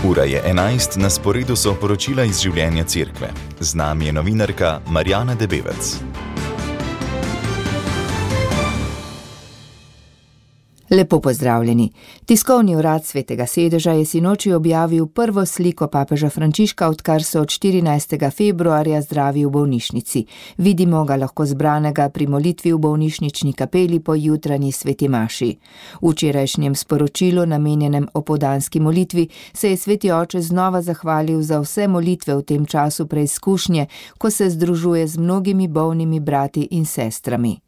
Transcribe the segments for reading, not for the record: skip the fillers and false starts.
Ura je 11, na sporedu so poročila iz življenja cerkve. Z nami je novinarka Marjana Debevec. Lepo pozdravljeni. Tiskovni urad Svetega sedeža je sinoči objavil prvo sliko papeža Frančiška, odkar so od 14. februarja zdravi v bolnišnici. Vidimo ga lahko zbranega pri molitvi v bolnišnični kapeli po jutranji sveti maši. V včerajšnjem sporočilu, namenjenem opoldanski molitvi, se je sveti oče znova zahvalil za vse molitve v tem času preizkušnje, ko se združuje z mnogimi bolnimi brati in sestrami.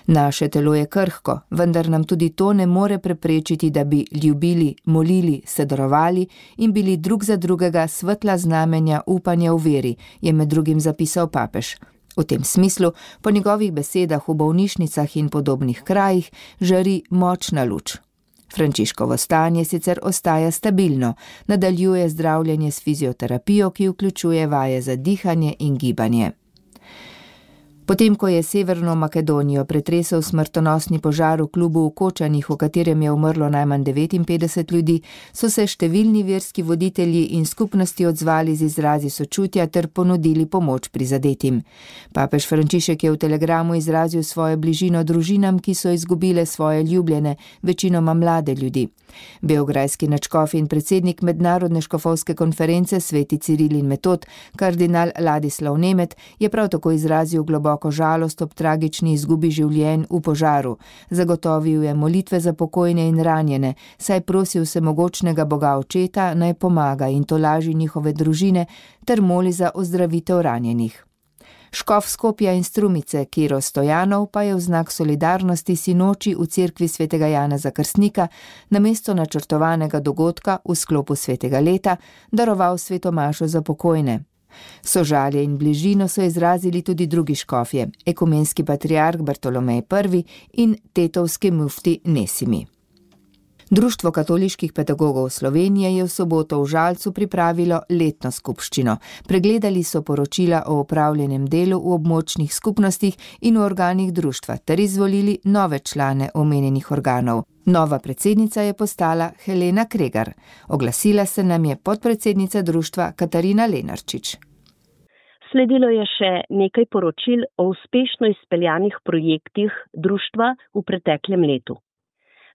Naše telo je krhko, vendar nam tudi to ne more preprečiti, da bi ljubili, molili, se darovali in bili drug za drugega svetla znamenja upanja v veri, je med drugim zapisal papež. V tem smislu, po njegovih besedah v bolnišnicah in podobnih krajih, žari močna luč. Frančiškovo stanje sicer ostaja stabilno, nadaljuje zdravljenje s fizioterapijo, ki vključuje vaje za dihanje in gibanje. Potem, ko je Severno Makedonijo pretresel smrtonosni požar v klubu v Kočanih, v katerem je umrlo najmanj 59 ljudi, so se številni verski voditelji in skupnosti odzvali z izrazi sočutja ter ponudili pomoč prizadetim. Papež Frančišek je v telegramu izrazil svojo bližino družinam, ki so izgubile svoje ljubljene, večinoma mlade ljudi. Beograjski nadškof in predsednik Mednarodne škofovske konference Sveti Ciril in Metod, kardinal Ladislav Nemet, je prav tako izrazil globoko žalost ob tragični izgubi življenj v požaru. Zagotovil je molitve za pokojne in ranjene, saj prosil vsemogočnega Boga Očeta naj pomaga in tolaži njihove družine ter moli za ozdravitev ranjenih. Škof Skopja in Strumice, Kiro Stojanov, pa je v znak solidarnosti sinoči v cerkvi svetega Janeza Krstnika namesto načrtovanega dogodka v sklopu svetega leta daroval sveto mašo za pokojne. Sožalje in bližino so izrazili tudi drugi škofje, ekumenski patriarh Bartolomej I in tetovski mufti Nesimi. Društvo katoliških pedagogov Slovenije je v soboto v Žalcu pripravilo letno skupščino. Pregledali so poročila o opravljenem delu v območnih skupnostih in v organih društva ter izvolili nove člane omenjenih organov. Nova predsednica je postala Helena Kregar. Oglasila se nam je podpredsednica društva Katarina Lenarčič. Sledilo je še nekaj poročil o uspešno izpeljanih projektih društva v preteklem letu.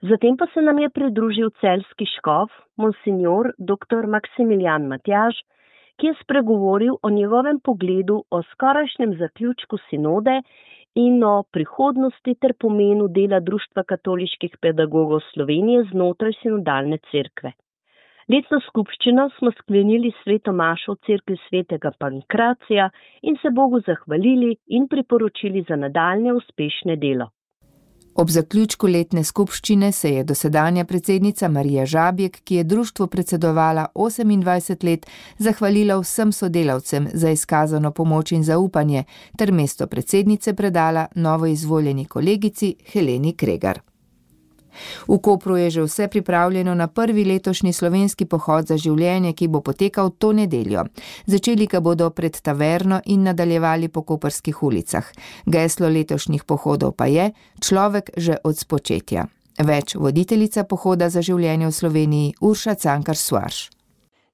Zatem pa se nam je pridružil celjski škof, monsignor dr. Maksimilijan Matjaž, ki je spregovoril o njegovem pogledu o skorajšnjem zaključku sinode in o prihodnosti ter pomenu dela Društva katoliških pedagogov Slovenije znotraj sinodalne cerkve. Letno skupščino smo sklenili s sveto mašo v cerkvi svetega Pankracija in se Bogu zahvalili in priporočili za nadaljnje uspešne delo. Ob zaključku letne skupščine se je dosedanja predsednica Marija Žabjek, ki je društvu predsedovala 28 let, zahvalila vsem sodelavcem za izkazano pomoč in zaupanje ter mesto predsednice predala novoizvoljeni kolegici Heleni Kregar. V Kopru je že vse pripravljeno na prvi letošnji slovenski pohod za življenje, ki bo potekal to nedeljo. Začeli ga bodo pred taverno in nadaljevali po koprskih ulicah. Geslo letošnjih pohodov pa je človek že od spočetja. Več voditeljica pohoda za življenje v Sloveniji Urša Cankar-Suarš.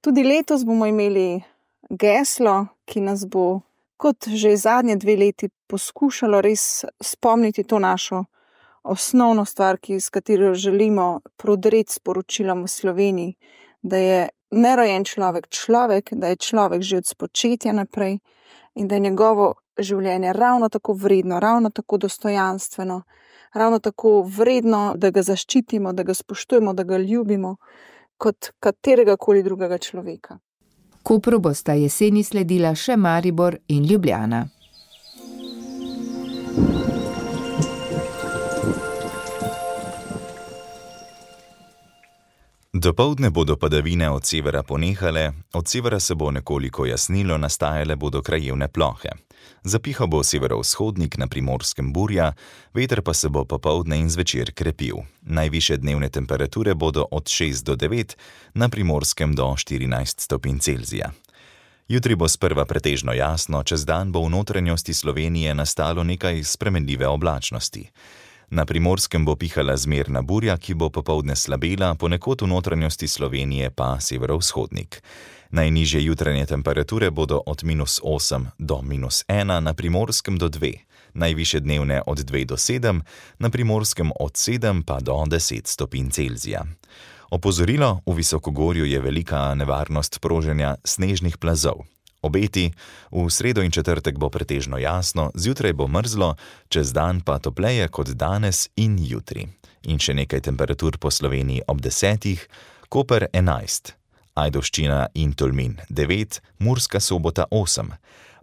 Tudi letos bomo imeli geslo, ki nas bo, kot že zadnje 2 leti, poskušalo res spomniti to našo osnovno stvar, s katero želimo prodreti sporočilom v Sloveniji, da je nerojen človek človek, da je človek že od spočetja naprej in da je njegovo življenje ravno tako vredno, ravno tako dostojanstveno, ravno tako vredno, da ga zaščitimo, da ga spoštujemo, da ga ljubimo, kot katerega koli drugega človeka. Kopru bosta jeseni sledila še Maribor in Ljubljana. Dopoldne bodo padavine od severa ponehale, od severa se bo nekoliko jasnilo, nastajale bodo krajevne plohe. Zapihal bo severovzhodnik, na Primorskem burja, veter pa se bo popoldne in zvečer krepil. Najvišje dnevne temperature bodo od 6 do 9, na Primorskem do 14 stopinj Celzija. Jutri bo sprva pretežno jasno, čez dan bo v notranjosti Slovenije nastalo nekaj spremenljive oblačnosti. Na Primorskem bo pihala zmerna burja, ki bo popoldne slabela, ponekod v notranjosti Slovenije pa severovzhodnik. Najnižje jutranje temperature bodo od -8 do -1, na Primorskem do 2, najvišje dnevne od 2 do 7, na Primorskem od 7 pa do 10 stopinj Celzija. Opozorilo: v visokogorju je velika nevarnost proženja snežnih plazov. Obeti: v sredo in četrtek bo pretežno jasno, zjutraj bo mrzlo, čez dan pa topleje kot danes in jutri. In še nekaj temperatur po Sloveniji ob 10, Koper 11, Ajdovščina in Tolmin 9, Murska Sobota 8,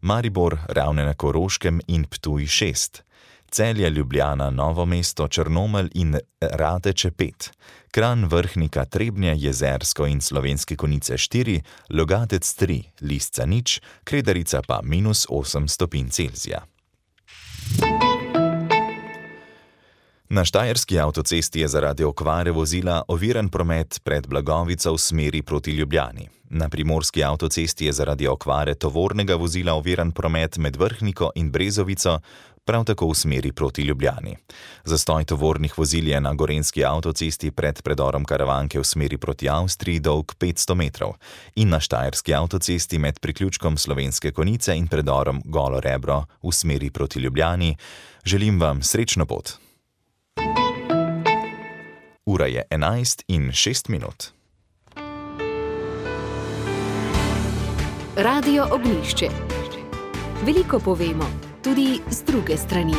Maribor, Ravne na Koroškem in Ptuj 6, Celje, Ljubljana, Novo mesto, Črnomelj in Radeče 5, Kranj, Vrhnika, Trebnje, Jezersko in Slovenske Konjice 4, Logatec 3, Lisca 0, Kredarica pa -8 stopinj Celzija. Na štajerski avtocesti je zaradi okvare vozila oviran promet pred Blagovico v smeri proti Ljubljani. Na primorski avtocesti je zaradi okvare tovornega vozila oviran promet med Vrhniko in Brezovico, prav tako v smeri proti Ljubljani. Zastoj tovornih vozil je na gorenjski avtocesti pred predorom Karavanke v smeri proti Avstriji dolg 500 metrov in na štajerski avtocesti med priključkom Slovenske Konjice in predorom Golo Rebro v smeri proti Ljubljani. Želim vam srečno pot. Ura je 11:06. Radio Ognjišče. Veliko povemo, tudi z druge strani.